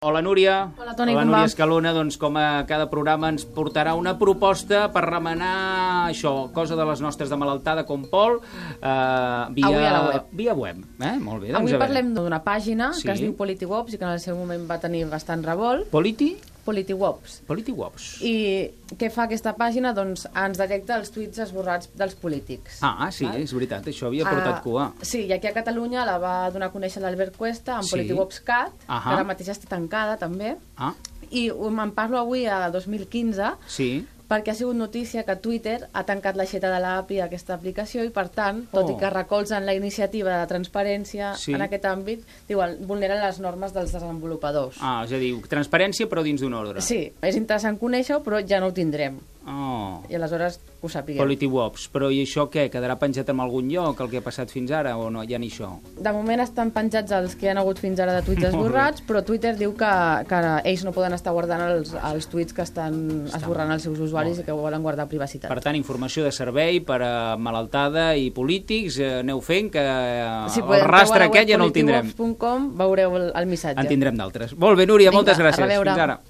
Hola Núria. Hola Toni, la com Núria va? Escalona, doncs com a cada programa ens portarà una proposta per remenar això, cosa de les nostres de malaltada com Pol, Avui a la web. Via web. Molt bé, doncs Avui a veure. parlem d'una pàgina Sí. que es diu PolitiWops i que en el seu moment va tenir bastant revolt. PolitiWops. PolitiWops. I què fa aquesta pàgina? Doncs ens detecta els tuits esborrats dels polítics. Sí, val? és veritat, això havia portat cua. Sí, i aquí a Catalunya la va donar a conèixer l'Albert Cuesta amb Sí. PolitiWops Cat, Ahà. que ara mateix està tancada també. I me'n parlo avui a 2015 Sí. perquè ha sigut notícia que Twitter ha tancat l'aixeta de l'API, aquesta aplicació, i per tant, tot i que recolzen la iniciativa de transparència Sí. en aquest àmbit, diuen, vulneren les normes dels desenvolupadors. És a dir, transparència però dins d'un ordre. Sí, és interessant conèixer-ho, però ja no ho tindrem. I aleshores que ho sapiguem. PolitiWops. Però i això què? Quedarà penjat en algun lloc, el que ha passat fins ara, o no? Ja ni això? De moment estan penjats els que hi han hagut fins ara de tuits esborrats, però Twitter diu que ells no poden estar guardant els tuits que estan esborrant els seus usuaris i que volen guardar privacitat. Per tant, informació de servei per a malaltada i polítics, aneu fent que el rastre aquest ja no el tindrem. Si podeu veure a politiwops.com veureu el missatge. En tindrem d'altres. Molt bé, Núria, moltes gràcies. A reveure. Fins ara.